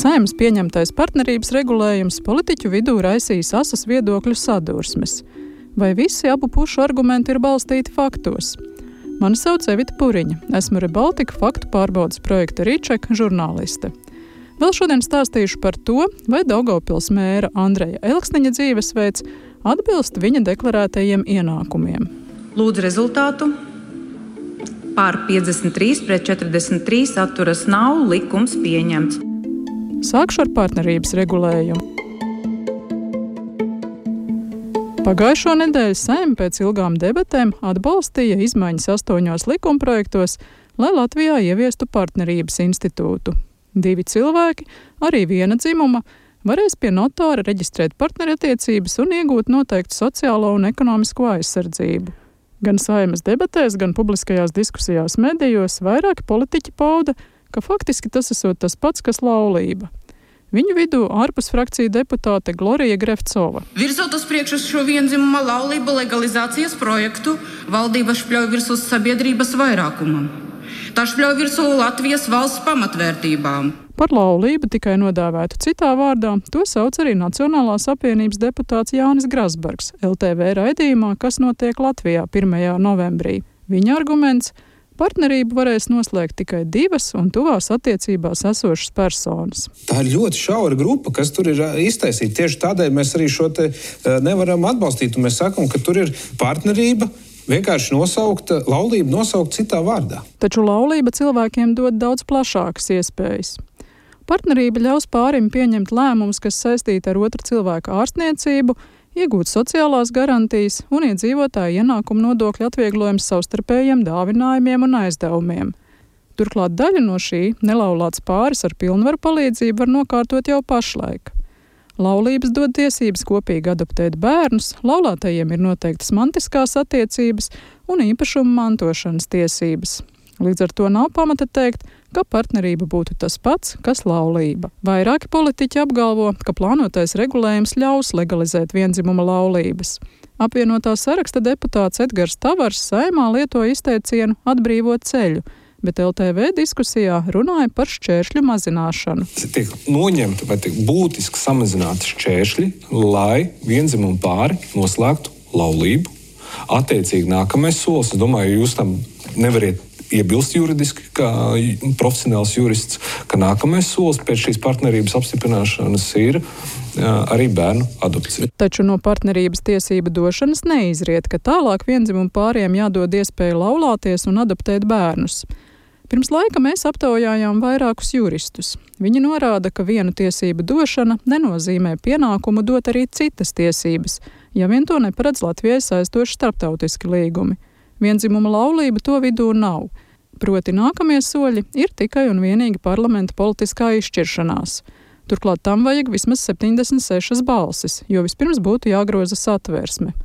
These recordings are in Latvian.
Saeimas pieņemtais partnerības regulējums politiķu vidū raisīs asas viedokļu sadursmes. Vai visi abu pušu argumenti ir balstīti faktos? Mani sauc Evita Puriņa. Esmu Rebaltika faktu pārbaudes projekta Rīčeka žurnāliste. Vēl šodien stāstīšu par to, vai Daugavpils mēra Andreja Elksniņa dzīvesveids atbilst viņa deklarētajiem ienākumiem. Lūdzu rezultātu. Pār 53 pret 43 atturas nav, likums pieņemts. Sākšu ar partnerības regulējumu. Pagājušo nedēļu Saeima pēc ilgām debatēm atbalstīja izmaiņas 8 likumprojektos, lai Latvijā ieviestu partnerības institūtu. 2 cilvēki, arī viena dzimuma, varēs pie notāra reģistrēt partnerattiecības un iegūt noteiktu sociālo un ekonomisko aizsardzību. Gan Saeimas debatēs, gan publiskajās diskusijās medijos vairāki politiķi pauda, ka faktiski tas esot tas pats, kas laulība. Viņu vidū ārpus frakciju deputāte Glorija Grevcova. Virzot uz priekšu šo vienzimuma laulību legalizācijas projektu, valdība špļauj virsū sabiedrības vairākumam. Tā špļauj virsū Latvijas valsts pamatvērtībām. Par laulību, tikai nodēvētu citā vārdā, to sauc arī Nacionālās apvienības deputāts Jānis Grasbergs LTV raidījumā, kas notiek Latvijā 1. novembrī. Viņa arguments – partnerību varēs noslēgt tikai 2 un tuvās attiecībās esošas personas. Tā ir ļoti šaura grupa, kas tur ir iztaisīta. Tieši tādēļ mēs arī šo te nevaram atbalstīt. Un mēs sakam, ka tur ir partnerība, vienkārši laulība nosaukt citā vārdā. Taču laulība cilvēkiem dod daudz plašākas iespējas. Partnerība ļaus pārim pieņemt lēmumus, kas saistīti ar otra cilvēka ārstniecību, iegūt sociālās garantijas un iedzīvotāju ienākumu nodokļu atvieglojums savstarpējiem dāvinājumiem un aizdevumiem. Turklāt daļu no šī nelaulāts pāris ar pilnvaru palīdzību var nokārtot jau pašlaik. Laulības dod tiesības kopīgi adoptēt bērnus, laulātajiem ir noteiktas mantiskās attiecības un īpašuma mantošanas tiesības. Līdz ar to nav pamata teikt, ka partnerība būtu tas pats, kas laulība. Vairāki politiķi apgalvo, ka plānotais regulējums ļaus legalizēt vienzimuma laulības. Apvienotā saraksta deputāts Edgars Tavars Saeimā lietoja izteicienu atbrīvot ceļu, bet LTV diskusijā runāja par šķēršļu mazināšanu. Tiek noņemti vai tiek būtiski samazināti šķēršļi, lai vienzimuma pāri noslēgtu laulību. Attiecīgi nākamais solis, es domāju, jūs tam nevariet iebilst juridiski, kā profesionāls jurists, ka nākamais solis pēc šīs partnerības apstiprināšanas ir arī bērnu adopcija. Taču no partnerības tiesību došanas neizriet, ka tālāk viendzimumu pāriem jādod iespēja laulāties un adoptēt bērnus. Pirms laika mēs aptaujājām vairākus juristus. Viņi norāda, ka vienu tiesību došana nenozīmē pienākumu dot arī citas tiesības, ja vien to neparedz Latvijai saistoši starptautiski līgumi. Vienzimuma laulība to vidū nav. Proti nākamie soļi ir tikai un vienīgi parlamenta politiskā izšķiršanās. Turklāt tam vajag vismaz 76 balsis, jo vispirms būtu jāgroza satversme.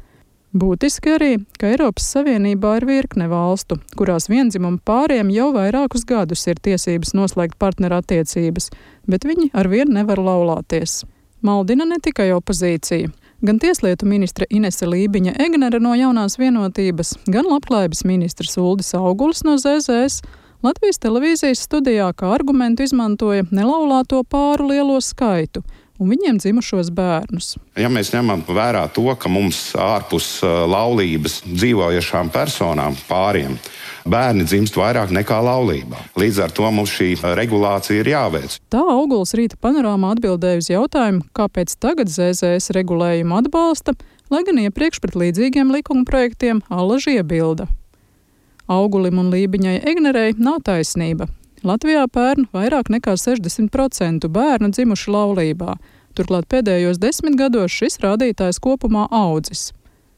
Būtiski arī, ka Eiropas Savienībā ir virkne valstu, kurās vienzimuma pāriem jau vairākus gadus ir tiesības noslēgt partnerattiecības, bet viņi arvien nevar laulāties. Maldina ne tikai opozīcija. Gan tieslietu ministre Inese Lībiņa Egnere no Jaunās vienotības, gan labklājības ministrs Uldis Augulis no ZZS Latvijas televīzijas studijā kā argumentu izmantoja nelaulāto pāru lielo skaitu un viņiem dzimušos bērnus. Ja mēs ņemam vērā to, ka mums ārpus laulības dzīvojošām personām, pāriem, bērni dzimst vairāk nekā laulībā. Līdz ar to mums šī regulācija ir jāveic. Tā Auguls rīta panorāmā atbildēja uz jautājumu, kāpēc tagad ZZS regulējumu atbalsta, lai gan iepriekš pret līdzīgiem likuma projektiem allaži iebilda. Augulim un Lībiņai Egnerei nav taisnība. Latvijā pērn vairāk nekā 60% bērnu dzimuši laulībā. Turklāt pēdējos 10 gados šis rādītājs kopumā audzis.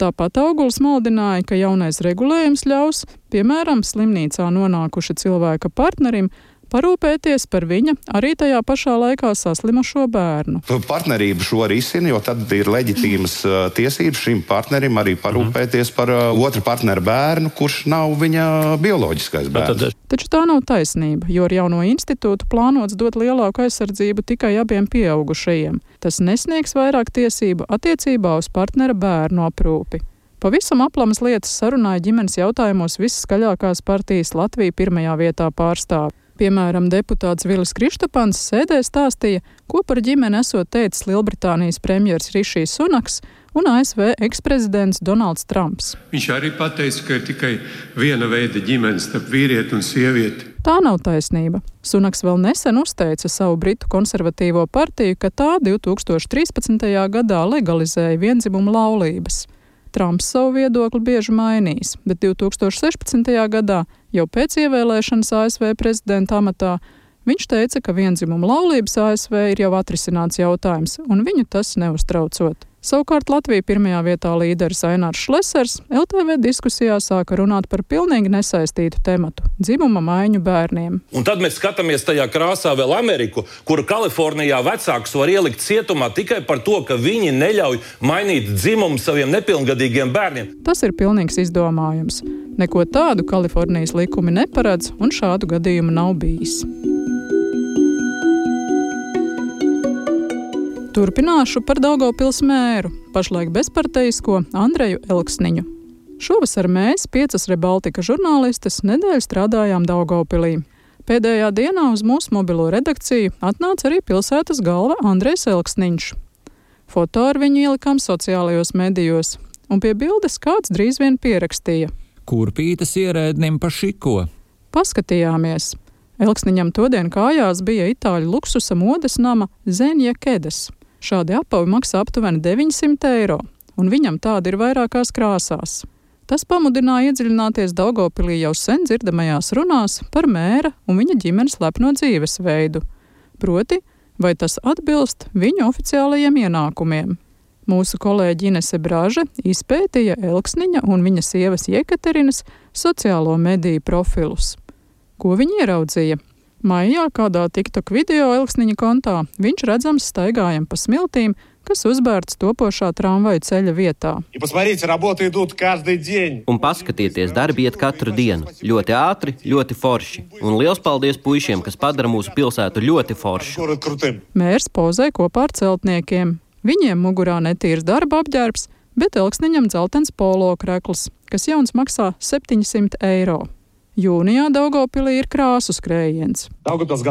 Tāpat Auguls maldināja, ka jaunais regulējums ļaus, piemēram, slimnīcā nonākuša cilvēka partnerim, parūpēties par viņa arī tajā pašā laikā saslimušo bērnu. Partnerību šo risina, jo tad ir leģitīmas tiesības šim partnerim arī parūpēties par otra partnera bērnu, kurš nav viņa bioloģiskais bērns. Taču tā nav taisnība, jo ar jauno institūtu plānots dot lielāku aizsardzību tikai abiem pieaugušajiem. Tas nesniegs vairāk tiesību attiecībā uz partnera bērnu aprūpi. Pavisam aplamas lietas sarunāja ģimenes jautājumos visskaļākās partijas Latvija pirmajā vietā pārstāv. Piemēram, deputāts Vilis Krištapans sēdē stāstīja, ko par ģimeni esot teicis Lielbritānijas premjers Rišijs Sunaks un ASV eksprezidents Donalds Trumps. Viņš arī pateica, ka ir tikai viena veida ģimenes starp vīrieti un sievieti. Tā nav taisnība. Sunaks vēl nesen uzteica savu britu konservatīvo partiju, ka tā 2013. gadā legalizēja viendzimumu laulības. Trumps savu viedokli bieži mainījis, bet 2016. gadā, jau pēc ievēlēšanas ASV prezidenta amatā, viņš teica, ka viendzimumu laulības ASV ir jau atrisināts jautājums, un viņu tas neuztraucot. Savukārt Latvija pirmajā vietā līderis Ainārs Šlesers LTV diskusijā sāka runāt par pilnīgi nesaistītu tematu – dzimuma maiņu bērniem. Un tad mēs skatāmies tajā krāsā vēl Ameriku, kura Kalifornijā vecākus var ielikt cietumā tikai par to, ka viņi neļauj mainīt dzimumu saviem nepilngadīgiem bērniem. Tas ir pilnīgs izdomājums. Neko tādu Kalifornijas likumi neparedz, un šādu gadījumu nav bijis. Turpināšu par Daugavpils mēru, pašlaik bezparteisko Andreju Elksniņu. Šovasar mēs, 5 Rebaltika žurnālistes, nedēļu strādājām Daugavpilī. Pēdējā dienā uz mūsu mobilo redakciju atnāca arī pilsētas galva Andrejs Elksniņš. Foto ar viņu ielikām sociālajos medijos, un pie bildes kāds drīz vien pierakstīja. Kurpītes ierēdnim pa šiko. Paskatījāmies. Elksniņam todien kājās bija itāļu luksusa modes nama Zenja Kedes. Šādi apavi maksā aptuveni 900 eiro, un viņam tādi ir vairākās krāsās. Tas pamudināja iedziļināties Daugavpilī jau sen dzirdamajās runās par mēra un viņa ģimenes lepno dzīvesveidu. Proti, vai tas atbilst viņu oficiālajiem ienākumiem. Mūsu kolēģe Inese Braže izpētīja Elksniņa un viņa sievas Jekaterinas sociālo mediju profilus. Ko viņi ieraudzīja? Maijā kādā TikTok video Elksniņa kontā viņš redzams staigājam pa smiltīm, kas uzbērts topošā tramvaju ceļa vietā. Un paskatieties, darbi iet katru dienu. Ļoti ātri, ļoti forši. Un liels paldies puišiem, kas padara mūsu pilsētu ļoti foršu. Mērs pozē kopā ar celtniekiem. Viņiem mugurā netīrs darba apģērbs, bet Elksniņam dzeltens polo krekls, kas jauns maksā 700 eiro. Jūnijā Daugavpilī ir krāsu skrējiens. Daugavpils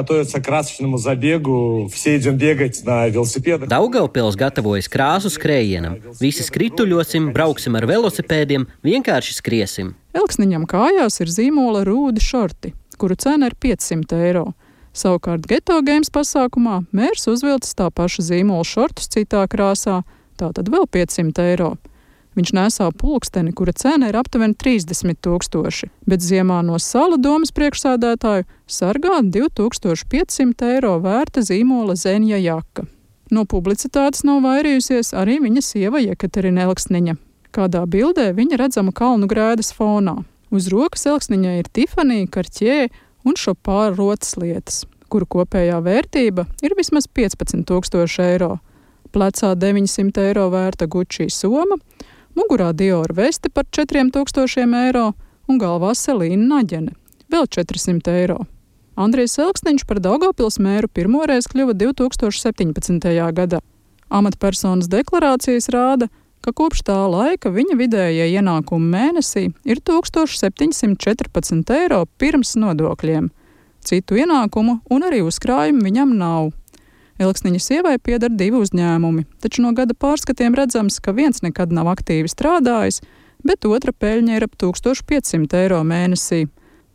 gatavojas krāsu skrējienam. Visi skrituļosim, brauksim ar velosipēdiem, vienkārši skriesim. Elksniņam kājās ir zīmola rūdi šorti, kuru cena ir 500 eiro. Savukārt Geto Games pasākumā mērs uzvilcis tā paša zīmola šortus citā krāsā, tātad vēl 500 eiro. Viņš nesā pulksteni, kura cena ir aptuveni 30 000, bet ziemā no Sala domas priekšsēdētāju sargā 2500 eiro vērta zīmola Zenja jaka. No publicitātes nav vairījusies arī viņa sieva Jekaterina Elksniņa. Kādā bildē viņa redzama kalnu grēdas fonā. Uz rokas Elksniņai ir Tiffany, Cartier un Chopard rotas lietas, kuru kopējā vērtība ir vismaz 15 000 eiro. Plecā 900 eiro vērta Gucci soma, mugurā Dior veste par 4000 eiro un galvā Selīna naģene, vēl 400 eiro. Andrejs Elksniņš par Daugavpils mēru pirmoreiz kļuva 2017. gadā. Amatpersonas deklarācijas rāda, ka kopš tā laika viņa vidējie ienākumi mēnesī ir 1714 eiro pirms nodokļiem. Citu ienākumu un arī uzkrājumu viņam nav. Elksniņa sievai pieder 2 uzņēmumi, taču no gada pārskatiem redzams, ka viens nekad nav aktīvi strādājis, bet otra peļņa ir ap 1500 eiro mēnesī.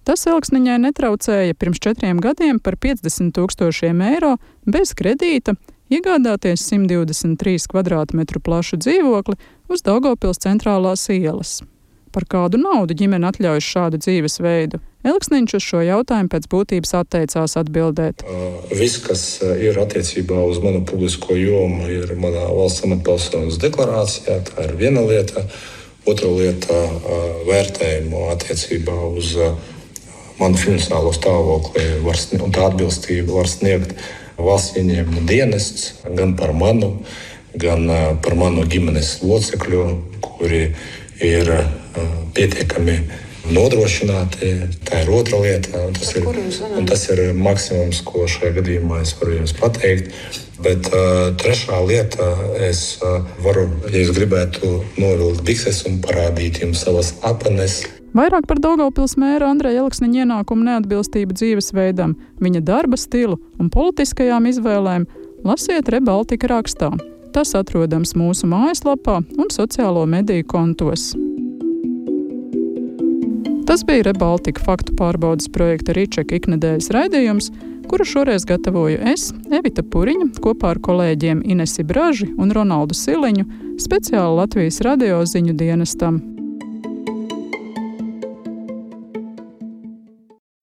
Tas Elksniņai netraucēja pirms 4 gadiem par 50 000 eiro bez kredīta iegādāties 123 kvadrātmetru plašu dzīvokli uz Daugavpils centrālās ielas. Par kādu naudu ģimene atļaujas šādu dzīvesveidu? Elksniņš uz šo jautājumu pēc būtības atteicās atbildēt. Viss, kas ir attiecībā uz manu publisko jomu, ir manā valsts amatpersonas deklarācijā. Tā ir viena lieta. Otra lieta - vērtējumu attiecībā uz manu finansiālo stāvokli un tā atbilstību var sniegt valsts ieņēmuma dienests gan par manu, gan par manu ģimenes locekļu, kuri ir pietiekami nodrošināti. Tā ir otra lieta, un tas ir maksimums, ko šajā gadījumā es varu jums pateikt. Bet trešā lieta, es varu, ja jūs gribētu, novilkt bikses un parādīt jums savas apenes. Vairāk par Daugavpils mēra Andreja Elksniņa ienākumu neatbilstību dzīvesveidam, viņa darba stilu un politiskajām izvēlēm lasiet Rebaltika rakstā. Tas atrodams mūsu mājaslapā un sociālo mediju kontos. Tas bija Rebaltika faktu pārbaudes projekta Ričeka iknedēļas raidījums, kuru šoreiz gatavoju es, Evita Puriņa, kopā ar kolēģiem Inesi Braži un Ronaldu Siliņu, speciāli Latvijas radio ziņu dienestam.